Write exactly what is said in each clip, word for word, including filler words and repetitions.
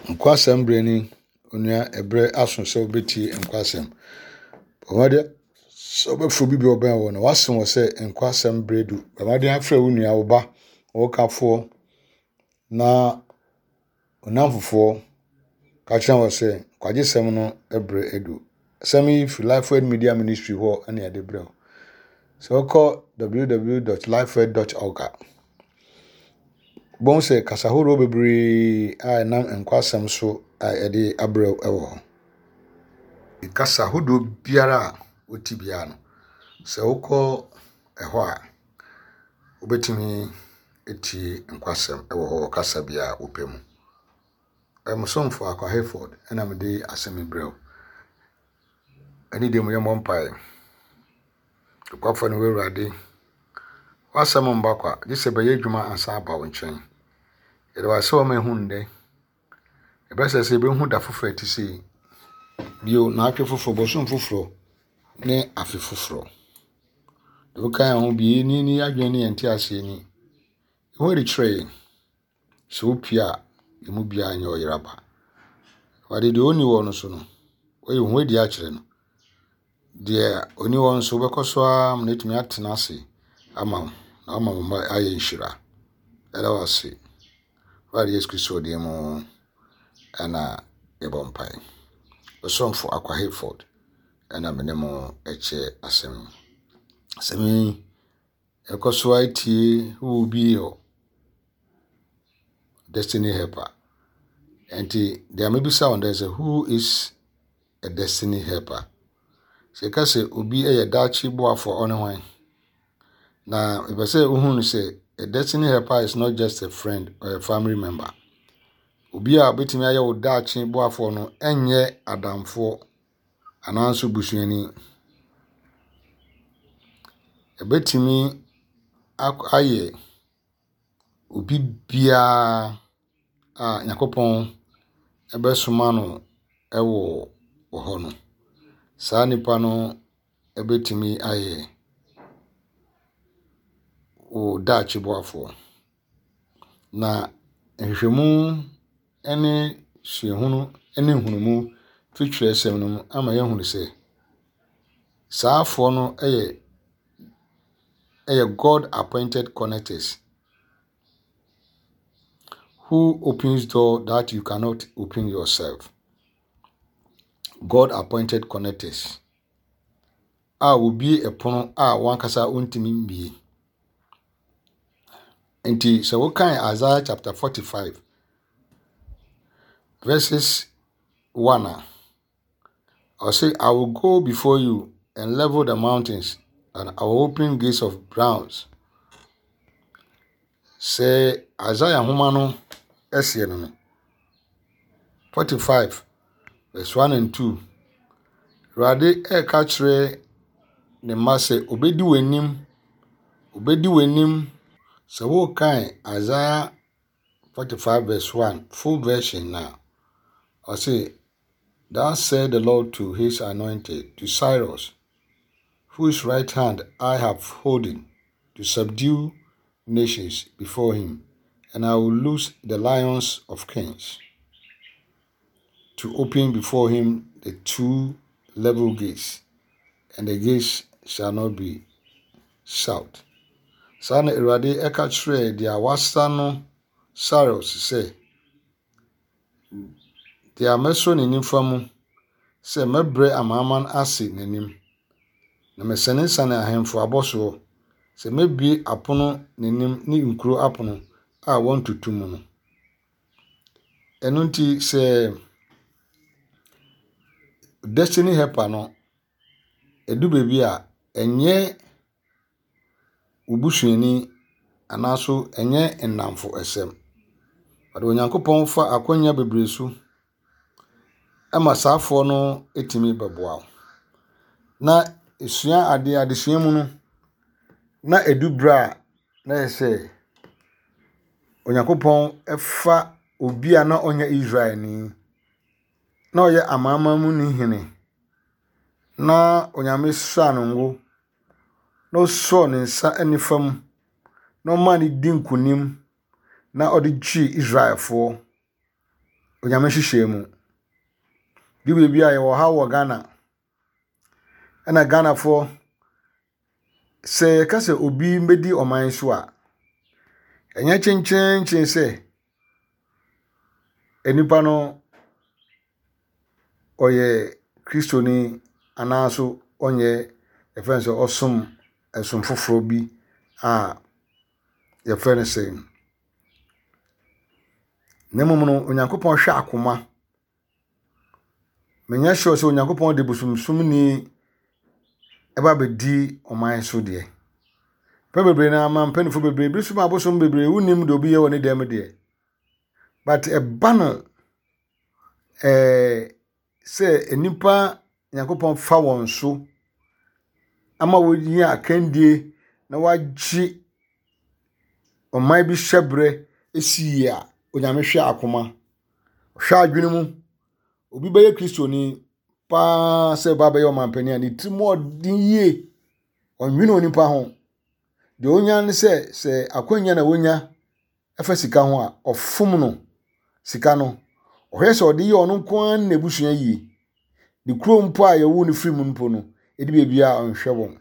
Nkwasɛm berɛ ni, onua ɛberɛ aso sɛ wobɛtie nkwasɛm. Bɔ mmɔden sɛ wobɛfrɛ obi bi a ɔbɛn wo no, woase wɔ sɛ nkwasɛm berɛ du. Bɔ mmɔden afrɛ wo nua, wo ba, wo kafoɔ na wo nnamfofoɔ ka kyerɛ wɔn sɛ nkwagyesɛm no berɛ adu. Asɛm yi firi Lifeword Media Ministry hɔ ɛna yɛde brɛ wo. Sɛ wokɔ www.lifeword dot org a, wobɛhu sɛ kasa ahoroɔ bebree a ɛnam nkwasɛm so a yɛde abrɛ wo wɔ hɔ. Kasa ahodoɔ biara a wote biara no, sɛ wokɔ ɛhɔ a, wobɛtumi atie nkwasɛm wɔ hɔ wɔ kasa biara a wopɛ mu. Ɛyɛ mo somfo Akwa Hayford ɛna mede asɛm yi brɛ wo. Ɛne deɛ mu yɛmmɔ mpaeɛ. Nokwafoɔ ne wo Awurade, w'asɛm mba kwa, gye sɛ bɛyɛ adwuma ansa aba wo nkyɛn. Yɛde w'asɛm ama ehu ndɛ. Ɛbɛsɛ sɛ yɛbɛhu da foforɔ a ɛte sei. Bio, naatwe foforɔ, bosom foforɔ ne afe foforɔ. Deɛ woka yɛn ho bi, ni ni adwene ne yɛn nteaseɛ ni. Ɛho adi kyerɛ yɛn. Sɛ wopue a, emu biara nyɛ ɔyera ba. Awurade, deɛ ɔnni hɔ no so no, woayi wo ho adi akyerɛ no. Deɛ ɔni hɔ nso, wobɛkɔ so ara ma no atumi atena ase ama wo, na ama wo mma ayɛ nhyira. Ɛda wo ase. Awurade Yesu Kristo din mu ɛna yɛbɔ mpae. Ɔsomfo Akwa Hayford ɛna me ne mo ɛkyɛ asɛm yi. Asɛm yi, ɛkɔ so atie who will be your destiny helper. Nti deɛ mebisa wɔn dɛ sɛ who is a destiny helper? Sɛ yɛka sɛ obi yɛ daakye boafoɔ a, ɔne hwan? Na mepɛ sɛ wohu no sɛ a destiny helper is not just a friend or a family member. Obi a obetumi ayɛ wo daakye boafoɔ no ɛnyɛ adamfoɔ anaa nso busuani. Ɛbɛtumi ayɛ obi biara a Nyankopɔn ɛbɛsoma no ɛwɔ wɔ hɔ no. Saa nipa no ɛbɛtumi ayɛ wo daakye boafoɔ. Na nhwehwɛmu ne suahunu ne nhunumu firi twerɛsɛm no mu ama yɛahunu sɛ saa afoɔ no yɛ ɛyɛ God appointed connectors who opens door that you cannot open yourself. God appointed connectors a wobue ɛpono a wankasa wontumi mbue. Nti sɛ wokan Isaiah chapter forty-five verses one a, ɔse, I will go before you and level the mountains and I will open gates of bronze. Sɛ Isaiah nhoma no ɛseɛ no no, forty-five verse one and two, Awurade ɛreka kyerɛ ne mma sɛ obedi w'anim, obedi w'anim. Sɛ wokan Isaiah forty-five verse one full version na, ɔse, Thus said the Lord to his anointed, to Cyrus, whose right hand I have holden to subdue nations before him, and I will loose the lions of kings, to open before him the two level gates, and the gates shall not be shut. Saa na Awurade ɛka kyerɛɛ deɛ wasa no Cyrus sɛ, deɛ mɛsɔ ne nifa mu sɛ mɛbrɛ amanaman ase n'anim, na mɛsanesane ahemfo abɔsoɔ, sɛ mɛbue apono n'anim ne nkuro apono a wɔntoto mu no. Ɛno nti sɛ destiny helper no, ɛdu baabi a ɛnyɛ wo busuani anaaso ɛnyɛ nnamfo ɛsɛm. Ɔde Onyankopɔn fa akwannya bebree so ɛma saafoɔ no etumi bɛboa wo. Na esua adeɛ adesua mu no, na edu berɛ a na yɛ sɛ Onyankopɔn ɛfa obi a na ɔnyɛ Israelni, na ɔyɛ amanaman mu ni hene, na Onyame sraa no ngo, na ɔsɔɔ ne nsa nifa mu, na ɔmaa no di nkonim, na ɔde gyee Israelfoɔ Onyame nhyehyɛe mu. Du baabi a yɛwɔ haw wɔ Ghana. Ɛna Ghanafoɔ, sɛ yɛka sɛ obi mbɛdi ɔman so a, ɛnyɛ kyenkyenkyen sɛ nipa no ɔyɛ Kristoni anaaso ɔnyɛ yɛfrɛ no sɛ ɔsom ɛsom foforɔ bi a yɛfrɛ no sɛ. Na mmom no, Onyankopɔn hwɛ akoma. Menyɛ sure sɛ Onyankopɔn de bosomsomni ɛba abɛdi ɔman so deɛ. Mpɛn bebree no ama mpanimfoɔ bebree bi nso ma abosom bebree wonim deɛ obi yɛ wɔ ne dan mu deɛ. But ɛba no ɛɛ sɛ nnipa Nyankopɔn fa wɔn so ama wɔnya akandie na wɔagye ɔman bi hyɛberɛ si yie a, Onyame hwɛ akoma. Ɔhwɛ adwene mu. Obi bɛyɛ Kristoni paa sɛ ɔba abɛyɛ ɔmampanin a ne tirim ɔden yie. Ɔnwene onipa ho. Deɛ onya ne sɛ sɛ akwannya na wonya ɛfa sika ho a, ɔfom no sika no. Ɔhwɛ sɛ ɔde yɛ ɔno nko ara ne n'abusua yie. Ne kurom mpo a yɛwoo no firi mu mpo no, ɛdi baabi a ɔnhwɛ wɔn.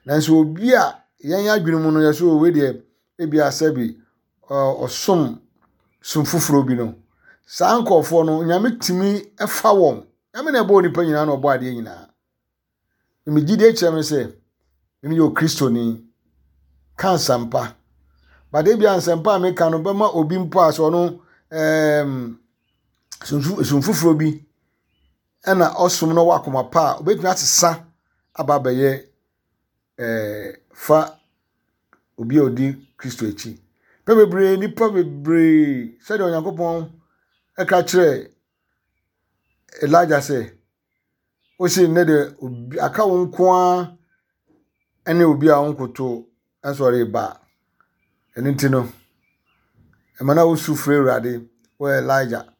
Nanso obi a yɛn adwene mu no yɛ so wei deɛ ebi asɛbi ɔsom som foforɔ bi no, saa nkurɔfoɔ no Nyame tumi fa wɔn. Nyame na ɛbɔ onipa nyinaa na ɔbɔ adeɛ nyinaa. Me gyidie kyerɛ me sɛ meyɛ Okristoni. Ka nsɛmpa. But ebi a nsɛmpa a meka no bɛma obi mpo a sɛ ɔno ɛɛm som foforɔ bi ɛna ɔsom no wɔ akoma pa a obetumi asesa aba abɛyɛ ɛɛ fa obi a odi Kristo akyi. Pɛ bebree nipa bebree sɛdeɛ Onyankopɔn ɛka kyerɛ Elijah sɛ osi nnɛ de obi aka wo nko ara ɛne obi a ɔnkoto ɛsɔre ba. Ɛno nti no, ɛma na wosu frɛ Awurade wɔ Elijah.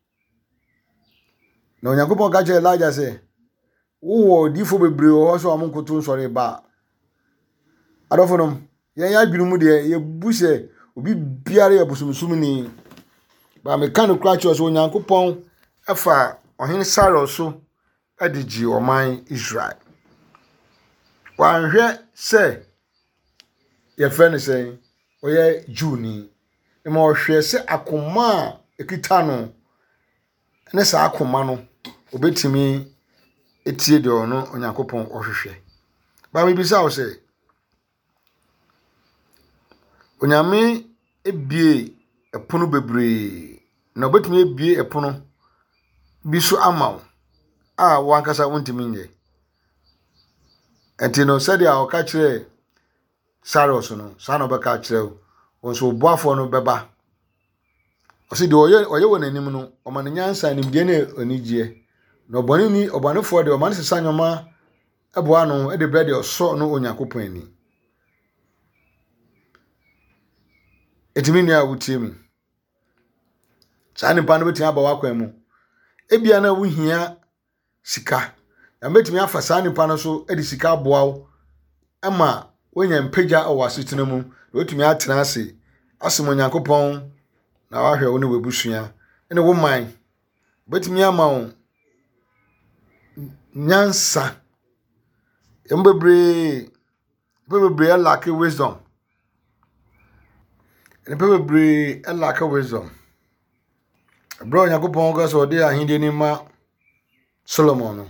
Na Onyankopɔn ka kyerɛ Elijah sɛ wowɔ odiyifoɔ bebree wɔ hɔ sɛ wɔn nkoto nsɔre ba. Adɔfo nom, yɛn adwene mu deɛ yɛbu sɛ obi biara yɛ bosomsomni. Ba meka no kora kyerɛ sɛ Onyankopɔn ɛfa ɔhene Cyrus so ɛde gye ɔman Israel. Wanhwɛ sɛ yɛfrɛ no sɛ ɔyɛ Jewni. Ma ɔhwɛ sɛ akoma a ekita no ne saa akoma no obetumi etie deɛ ɔno Onyankopɔn ɔhwehwɛ. Ba mebisa wo sɛ Onyame ebie ɛpono bebree na obetumi ebie ɛpono bi so ama wo a wankasa wontumi nyɛ. Nti no sɛdeɛ ɔka kyerɛ Cyrus no, saa na ɔbɛka kyerɛ wo. Wo nso wo boafoɔ no bɛba. Ɔsi deɛ ɔyɛ ɔyɛ wɔ n'anim no, ɔma no nyansa, nimdeɛ ne anigyeɛ. Na ɔbɔne ni ɔbɔnefoɔ deɛ ɔma no sesa nneɛma ɛboa no ɛde brɛ deɛ ɔsɔ no Onyankopɔn ani. Eti me nua a wotie mi, saa nipa no bɛtumi aba w'akwan mu. Ebia na wohia sika. Na bɛtumi afa saa nipa no so de sika aboa wo ama woanya mpagya wɔ asetena mu. Na wotumi atena ase asom Onyankopɔn na wahwɛ wo ne w'abusua ne wo man. Bɛtumi ama wo nyansa. Emu bebree, nnipa bebree lack wisdom. Nnipa bebree lack wisdom. Ɛberɛ a Onyankopɔn ka sɛ ɔde ahenni no ma Solomon no,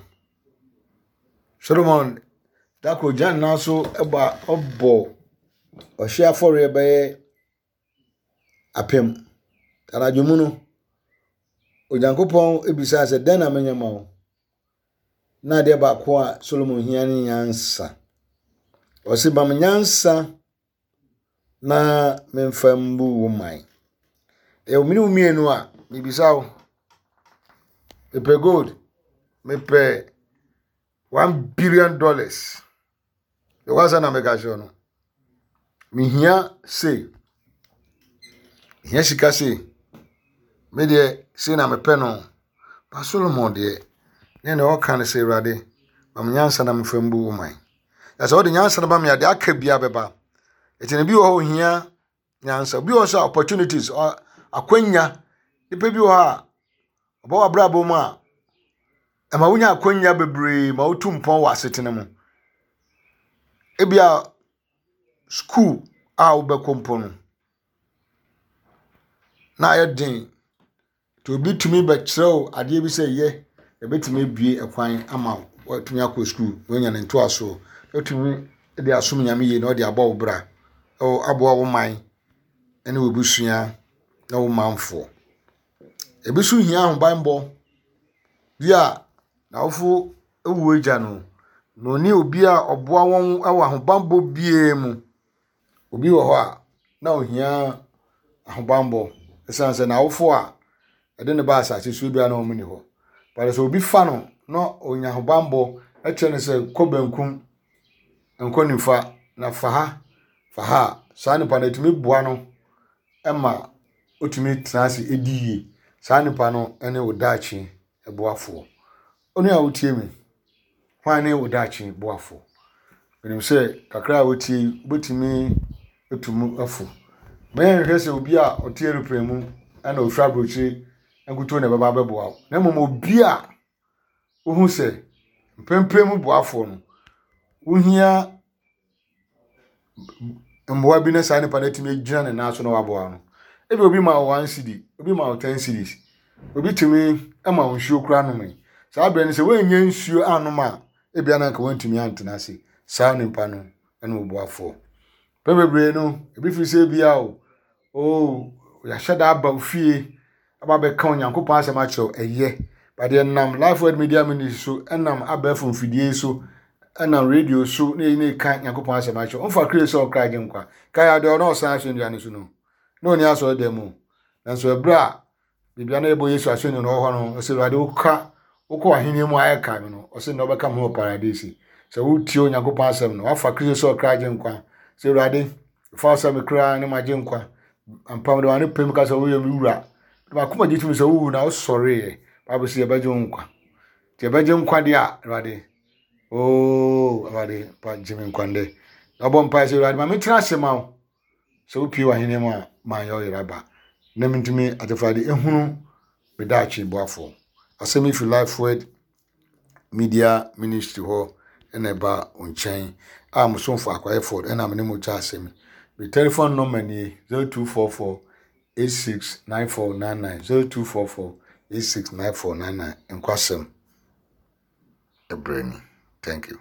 Solomon da koro gyina ne nan so ɛbɔ ɔbɔ ɔhyeɛ afɔreɛ bɛyɛ apem. Anadwo mu no, Onyankopɔn ebisaa sɛ dɛn na menyɛ ma wo? Na adeɛ baako a Solomon hia ne nyansa. Ɔse ma me nyansa na memfa mbu wo man. Ɛwɔ mene wo mmienu a mebisa wo. Mepɛ gold, mepɛ one billion dollars. Ɛwɔ na meka kyerɛ no. Mehia sei. Mehia sika sei. Me deɛ sei na mepɛ no. Ba Solomon deɛ, ne na ɔka no sɛ Awurade, ma me nyansa na memfa mbu wo man. Na sɛ wode nyansa no ba me a, deɛ aka biara bɛba. Ɛti no bi wɔ hɔ ohia nyansa. Bi wɔ hɔ sɛ opportunities, akwanya. Nipa bi wɔ hɔ a Ɔba w'abrabɔ mu a, ɛma wonya akwannya bebree ma wotu mpɔn wɔ asetena mu. Ebia sukuu a wobɛkɔ mpo no, na ayɛ den. Nti obi tumi bɛkyerɛ wo adeɛ bi sɛ yɛ, ɛbɛtumi abue ɛkwan ama wo. Woatumi akɔ sukuu na woanya ne ntoasoɔ. Woatumi de asom Nyame yie na wode abɔ wo bra, aboa wo man ne w'abusua ne wo manfoɔ. Ebi nso hia ahobammɔ bi a n'awofo awu agya no, na ɔne obi a ɔboa wɔn wɔ ahobammɔ biara mu. Obi wɔ hɔ a na ohia ahobammɔ ɛsiane sɛ n'awofo a ɛde ne ba asase so biara na wɔn nni hɔ. But sɛ obi fa no na onya ahobammɔ kyerɛ no sɛ kɔ benkum, nkɔ nifa na fa ha, fa ha a, saa nipa no etumi boa no ma otumi tena ase di yie. Saa nipa no ne wo daakye boafoɔ. Onua a wotie me, hwan ne wo daakye boafoɔ? Menim sɛ kakra a wotie yi, wobɛtumi atu mu afo. Ma yɛnhwɛ sɛ obi a ɔte aeroplane mu ɛna ofiri aburokyire nkutoo na ɛbɛba abɛboa wo. Na mmom obi a wohu sɛ mprempren mu boafoɔ no, wohia mmoa bi na saa nipa no atumi agyina ne nan so na waboa no. Ebi obi ma wo one cedi, obi ma wo ten cedis, obi tumi ma wo nsuo koraa nom. Saa berɛ no sɛ woannya nsuo anom a, ebia na anka woantumi antena ase. Saa nipa no ne wo boafoɔ. Mpɛn bebree no, ebi firi sɛ ebia o, oh, yɛahyɛ da aba wo fie aba abɛka Onyankopɔn asɛm akyerɛ wo, ɛyɛ. But yɛnam Life Word Media Ministry so, ɛnam abɛɛfo mfidie so, ɛnam radio so, na yɛyi ne ka Nyankopɔn asɛm akyerɛ wo. Ɔmfa Kristo sɛ ɔkra agye nkwa. Kae adeɛ ɔno ɔsan asɛnnua no so no, na ɔni asɔre mu. Nanso ɛberɛ a biribi a na yɛbɔ Yesu asɛnnua no wɔ hɔ no, ɔsɛ Awurade woka wokɔ ahenni mu ayɛ ka me no, ɔsɛ na ɔbɛka me ho wɔ paradise. Sɛ wotie Onyankopɔn asɛm no, wafa Kristo sɛ ɔkra agye nkwa. Sɛ Awurade, fa wo sɛ me kra ne magye nkwa. Ampa mede w'ano pem ka sɛ woyɛ me wura. M'akoma gye tom sɛ wowu na wosɔreeɛ. Bible sɛ yɛbɛgye wo nkwa. Nti yɛbɛgye nkwa deɛ a, Awurade, oo Awurade, pa gye me nkwa ndɛ. Na ɔbɔ mpae sɛ Awurade ma mentena ase ma wo. Sɛ wopie w'ahenni mu a, manyɛ wo yere aba. Na mentumi atefrade ehunu me daakye boafoɔ. Asɛm yi fi Life Word Media Ministry hɔ ɛna ɛba wo nkyɛn a mo somfo Akwaye Ford ɛna me ne mo kyɛ asɛm yi. Me telephone number nie zero two four four eight six nine four nine nine zero two four four eight six nine four nine nine. Nkwasɛm ɛbrɛ ni. Thank you.